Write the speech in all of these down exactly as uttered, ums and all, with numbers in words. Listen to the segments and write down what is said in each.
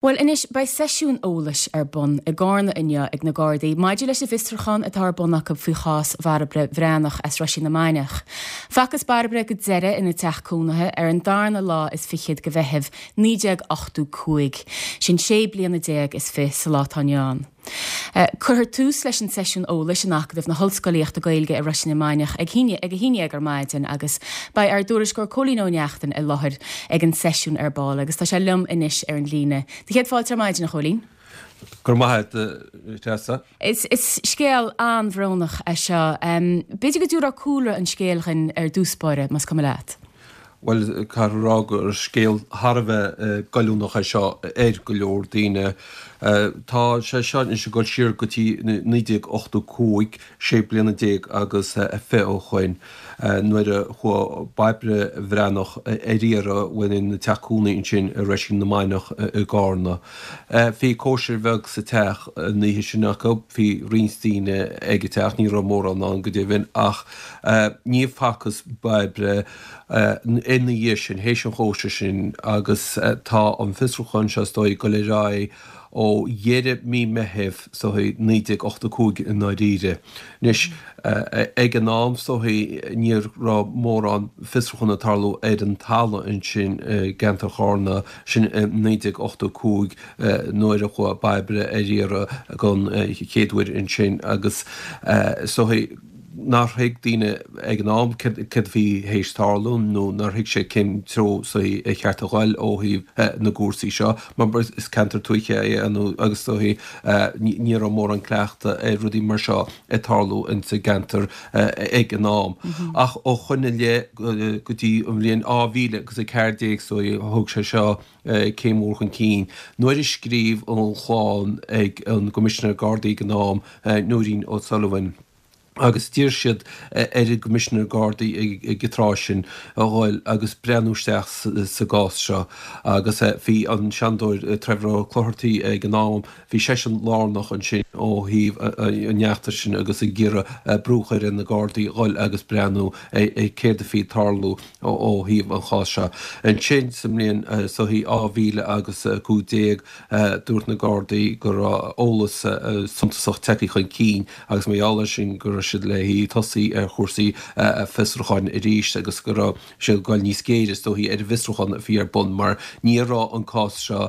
Bhuel anois beidh seisiún eolais ar bun i gCarna inniu ag na Gardaí maidir leis an bhfiosrúchán atá ar bun acu faoi chás Bhairbre Bhreathnach as Roisín na Mainiach. Facthas Bairbre go deireadh ina teach cónaithe ar an darna lá is fichead de Mheitheamh naoi déag ochtó cúig, sin sé bliana déag is fiche sa lá atá inniu ann. Cuirfear tús leis an seisiún eolais in Acadamh na hOllscolaíochta Gaeilge i Roisín na Mainiach ag ag a haon déag ar maidin agus beidh ár dtuairisceoir Cóilín Ó Neachtain i láthair ag an seisiún ar ball agus tá sé liom anois ar an líne. Do chéad fáilte ar maidin a Chóilín. Go raibh maith agat, Treasa. Is, is scéal an-bhrónach é seo. Um, B'fhéidir go dtabharfá cúlra an scéil dhúinn ar dtús báire, más cuma leat. Bhuel, caithfear a rá gur scéal thar a bheith goilliúnach é seo ar go leor daoine. Tá sé seo anois ag dul siar go dtí naoi déag ochtó cúig, sé bliana déag agus fiche ó shoin, nuair a chuaigh Bairbre Bhreathnach ar iarraidh uaidh ina teach cónaí ansin i Roisín na Mainiach i gCarna. Bhí cóisir bheag sa teach an oíche sin acu, bhí roinnt daoine ag an teach, ní raibh mórán ann go deimhin, ach ní facthas Bairbre ina dhiaidh sin, théis an chóisir sin, agus tá an fiosrúchán seo is dóigh ag dul ar aghaidh ó dheireadh mí Meithimh is dóigh naoi déag ochtó cúig i ndáiríre. Anois, ag an am is dóigh ní raibh mórán fiosrúchán ag tarlú ar an talamh ansin i gceantar Charna, sin i naoi déag ochtó cúig nuair a chuaigh Bairbre ar iarraidh don chéad uair ansin agus is dóigh, nár thuig daoine ag an am céard a bhí théis tarlú nó nár thuig siad cén treo is dóigh ar cheart a ghoil ó thaobh na gcúrsaí seo mar is ceantar tuaithe é agus is dóigh ní raibh mórán cleachtadh ar rudaí mar seo ag tarlú insa gceantar ag an am. Ach ó shoin i leith go dtí an bhliain dhá mhíle agus a ceathair déag is dóigh thóg sé seo céim mhór chun cinn nuair a scríobh an chlann ag an gCoimisinéir Gardaí ag an am, Nóirín O'Sullivan. agus d'iarr siad ar an gCoimisinéir Gardaí ag an tráth sin a ghoil agus breathnú isteach sa gcás seo agus bhí an Seanadóir Trevor Ó Clochartaigh ag an am, bhí seisean lárnach ansin ó thaobh an fheachtais sin agus ag iarraidh brú a chur ar na Gardaí a ghoil agus breathnú ar céard a bhí ag tarlú ó thaobh an cháis seo. Ansin sa mbliain is dóigh dhá mhíle agus a cúig déag dúirt na Gardaí go raibh eolas suntasach tagtha chun cinn agus mar gheall air sin go raibh siad le tosaí ar chúrsaí fiosrúcháin arís agus go raibh siad ag dul níos géire is dóichí ar an bhfiosrúchán a bhí ar bun mar ní raibh an cás seo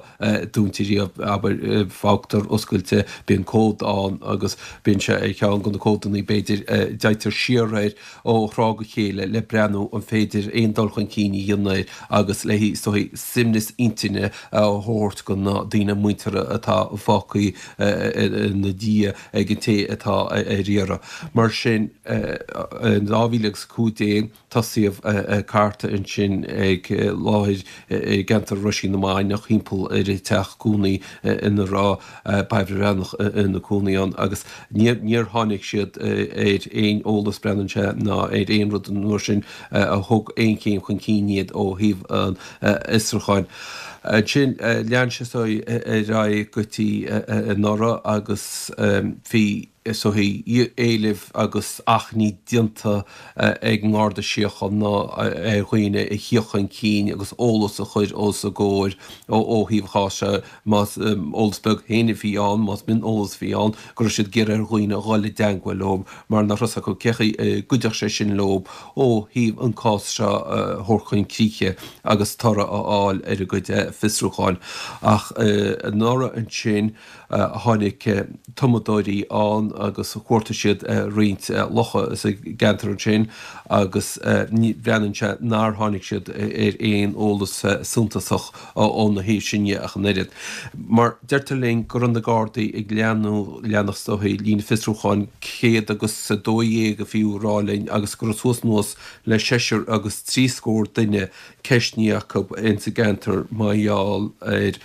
dúnta riamh, abair, fágtar oscailte, bíonn comhad ann agus bíonn sé ar cheann de na comhadanna b'fhéidir a dtéitear siar air ó thráth go chéile le breathnú an féidir aon dul chun cinn a dhéanamh air agus le is dóichí suaimhneas intinne a thabhairt do na daoine muinteartha atá fágtha ina diaidh ag an té atá ar iarraidh. Mar sin, in dhá mhíle agus a cúig déag, tosaíodh ag cartadh ansin ag láthair i gceantar Roisín na Mainiach thimpeall ar an teach cónaí ina raibh Bairbre Bhreathnach ina cónaí ann agus níor tháinig siad ar aon eolas, breathnaíonn sé, ná ar aon rud an uair sin a thug aon chéim chun cinn iad ó thaobh an fhiosrúcháin. Ansin lean sé ar aghaidh go dtí anuraidh agus bhí is dóichí, éilimh agus achainí déanta ag an nGarda Síochána ar dhaoine a thíocht chun cinn agus eolas a chur os a gcomhair ó thaobh an cháis seo, más eolas beag féin a bhí ann, más mion-eolas a bhí ann, go raibh siad ag iarraidh ar dhaoine a dhul i dteangmháil leo mar nach raibh a fhios acu cé chaoi a gcuideodh sé sin leo ó thaobh an cás seo a thabhairt chun críche agus toradh a fháil ar a gcuid fiosrúcháin. Ach anuraidh ansin, Tháinig tumadóirí ann agus chuartaigh siad roinnt locha sa gceantar ansin agus breathnaíonn sé nár tháinig siad ar aon eolas suntasach óna thaobh sin dhe ach an oiread. Mar deirtear linn go raibh na Gardaí ag leanúint, leanacht is dóichí, líne fiosrúcháin céad agus a dó dhéag a fiú a rá linn agus go raibh suas anuas le seisear agus trí scór duine ceistnithe acu ins an gceantar mar gheall ar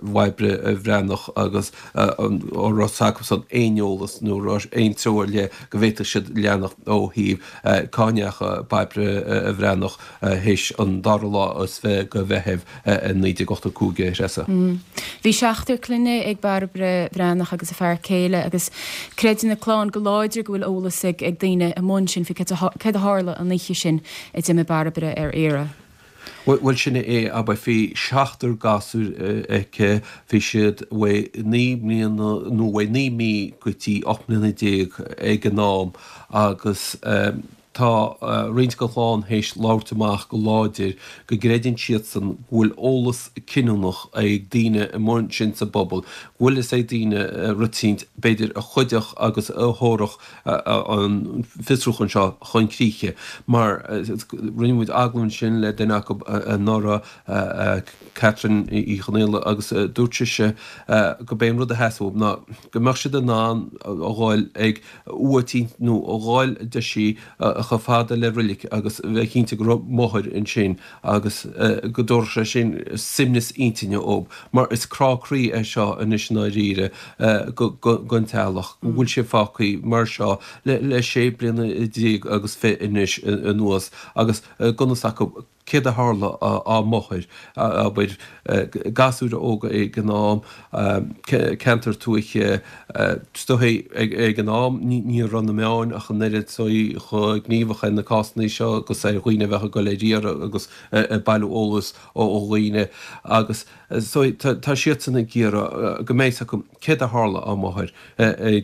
Bhairbre Bhreathnach agus an raibh fhios acusan aon eolas nó raibh aon treo ar leith go bhféadfadh siad leanacht ó thaobh cá ndeacha Bairbre Bhreathnach théis an dara lá is fiche de Mheitheamh naoi déag ochtó cúig, a Threasa. Bhí seachtar clainne ag Bairbre Bhreathnach agus a fear céile agus creideann a clann go láidir go bhfuil eolas ag daoine amuigh ansin faoi céard a tharla an oíche sin a d'imigh Bairbre ar iarraidh. Bhuel sin é, abair, bhí seachtar gasúr aici, bhí siad uaidh naoi mbliana nó uaidh naoi mí go dtí ocht mbliana déag ag an am agus tá roinnt den chlann théis labhairt amach go láidir go gcreideann siadsan go bhfuil eolas cinniúnach ag daoine amuigh ansin sa bpobal, go bhfuil fhios ag daoine rud eicínt, b'fhéidir, a chuideodh agus a thabharfadh an fiosrúchán seo chun críche. Mar rinne muid agallamh ansin le duine acu anuraidh, Catherine Uí Chonaola, agus dúirt sise gurb é an rud a theastaigh uathu ná go mbeadh siad in ann a dhul ag uaigh eicínt nó a dhul deir sí chomh fada le roilig agus bheith cinnte go raibh máthair ansin agus go dtabharfadh sé sin suaimhneas intinne dóibh mar is crá croí é seo anois i ndáiríre don teaghlach go bhfuil sé fágtha mar seo le sé bliana déag agus fiche anois anuas agus gan fhios acu céard a tharla dá máthair, abair, gasúir óga ag an am, ceantar tuaithe, is dóichí ag an am ní raibh na meáin ach an oiread so chomh gníomhach ar na cásanna seo agus ar dhaoine a bheadh ag dul ar iarraidh agus ag bailiú eolas ó dhaoine agus so tá siadsan ag iarraidh go mbeidh fhios acu céard a tharla dá máthair,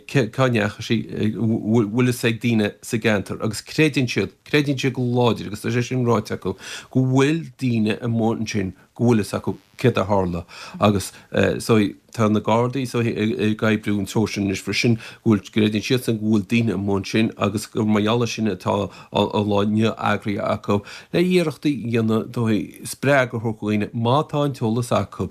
cá ndeachaigh sí, bhfuil fhios ag daoine sa gceantar agus creideann siad, creideann siad go láidir agus tá sé sin ráite acu, go bhfuil daoine amuigh ansin go bhfuil fhios acu céard a tharla agus so tá na Gardaí so ag oibriú an treo sin anois freisin, go bhfuil, gcreideann siadsan go bhfuil daoine amuigh ansin agus gur mar gheall air sin atá an lá inniu eagraithe acu le iarrachtaí a dhéanamh dóigh spreagadh a thabhairt do dhaoine má tá an t-eolas acu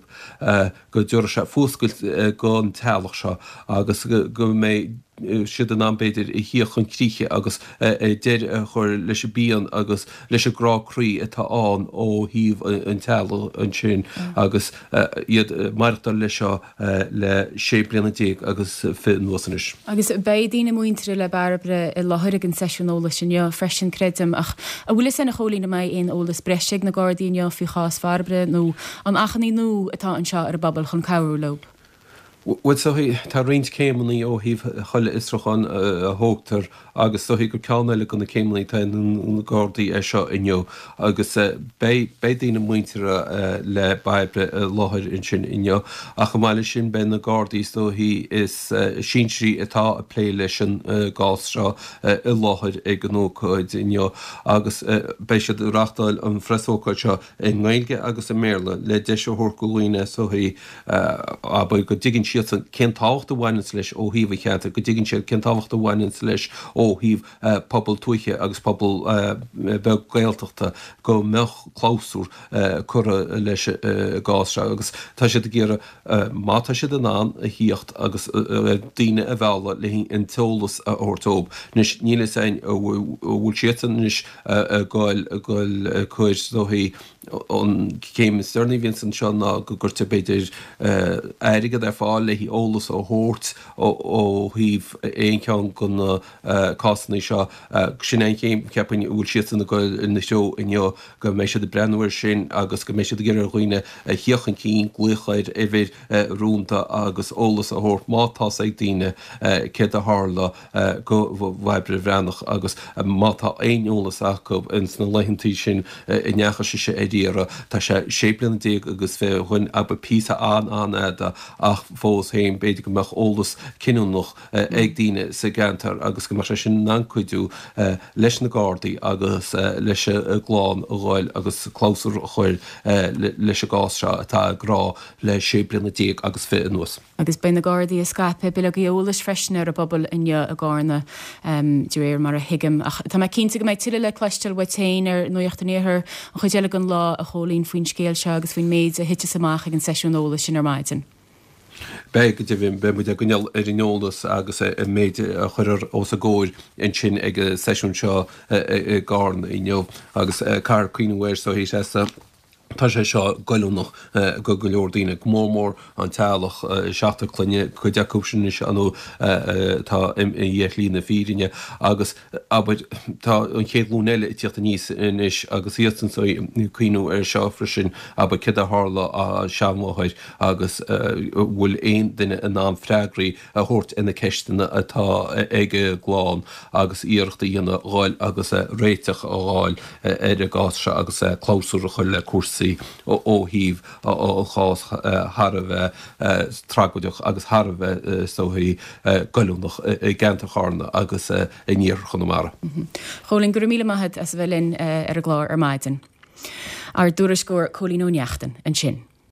go dtabharfaidh sé fuascailt don teaghlach seo agus go mbeidh siad in ann, b'fhéidir, a thíocht chun críche agus deireadh a chur leis an bpian agus leis an gcrá croí atá ann ó thaobh an teaghlaigh ansin agus iad ag maireachtáil leis seo le sé bliana déag agus fiche anuas anois. Agus beidh daoine muinteartha le Bairbre i láthair ag an seisiún eolais inniu freisin, creidim. Ach an bhfuil fhios a'inn, a Chóilín, an mbeidh aon eolas breise ag na Gardaí inniu faoi chás Bhairbre nó an achainí nua atá anseo ar an bpobal chun cabhrú leo? Bhuel, is dóichí, tá roinnt céimeanna ó thaobh chuile fhiosrúchán a thógtar agus is dóichí gur ceann eile de na céimeanna atá ag na Gardaí é seo inniu agus beidh beidh daoine muinteartha le Bairbre i láthair ansin inniu ach chomh maith leis sin beidh na Gardaí is dóichí is sinsearaí atá ag plé leis an gcás seo i láthair ag an ócáid inniu agus beidh siad ag reáchtáil an phreasócáid seo i nGaeilge agus i mBéarla le deis a thabhairt do dhaoine is dóichí abair, go dtuigeann siadsan cén tábhacht a bhaineanns leis ó thaobh an cheantair, go dtuigeann siad cén tábhacht a bhaineanns leis ó thaobh pobal tuaithe agus pobal beag Gaeltachta, go mbeadh clabhsúr curtha leis an gcás seo agus tá siad ag iarraidh, má tá siad in ann, a thíocht agus daoine a mhealladh le an t-eolas a thabhairt dóibh. Anois, níl fhios a'inn an bhfuil siadsan anois ag goil, ag goil ag cur, is dóichí, An chéim is deireanaí a bhíonns anseo ná go gcuirtear b'fhéidir airgead ar fáil le heolas a thabhairt ó thaobh aon cheann de na cásanna seo. Sin é an chéim, cheapfainn, a bhfuil siadsan ag dul ina threo inniu, go mbeidh siad ag breathnú air sin agus go mbeidh siad ag iarraidh ar dhaoine a thíocht chun cinn, glaoch ar uimhir rúnda agus eolas a thabhairt má tá's ag daoine céard a tharla do Bhairbre Bhreathnach agus má tá aon eolas acu ins na laethantaí sin a ndeachaigh sise ar iarraidh, tá sé sé bliana déag agus fiche ó shin, abair, píosa an-an-fhada ach fós féin b'fhéidir go mbeadh eolas cinniúnach ag daoine sa gceantar agus go mbeadh sé sin in ann cuidiú leis na Gardaí agus leis an gclann a dhul agus clabhsúr a chur leis an gcás seo atá ag crá le sé bliana déag agus fiche anuas. Agus beidh na Gardaí ag scaipeadh bileogaí eolais freisin ar an bpobal inniu i gCarna, de réir mar a thuigim. Ach tá mé cinnte go mbeidh tuilleadh le cloisteáil uait féin ar Nuacht an Iarthair an chuid eile den lá, a Chóilín, faoin scéal seo agus faoin méid a thitfeas amach ag an seisiún eolais sin ar maidin. Beidh, go deimhin. Beidh muid á gcoinneáil ar an eolas agus an méid a chuirfear os a gcomhair ansin ag an seisiún seo i gCarna inniu. Agus caithfear cuimhniú air, so, Tá sé seo goilliúnach go go leor daoine, go mór mór an teaghlach, seachtar clainne, cuid acu sin anois nó atá imithe ar shlí na fírinne agus abair tá an chéad ghlúin eile ag tíocht aníos anois agus iadsan ag cuimhniú air seo freisin, abair céard a tharla dá seanmháthair agus an bhfuil aon duine in ann freagraí a thabhairt ar na ceisteanna atá ag an gclann agus iarracht a dhéanamh dhul agus réiteach a fháil ar an gcás seo agus clabhsúr a chur le cúrsaí ó thaobh an chás thar a bheith tragóideach agus thar a bheith is dóichí goilliúnach i gceantar Charna agus in iarthar Chonamara. Chóilín, go raibh míle maith agat as a bheith linn ar an gclár ar maidin. Ár dtuairisceoir Cóilín Ó Neachtain ansin.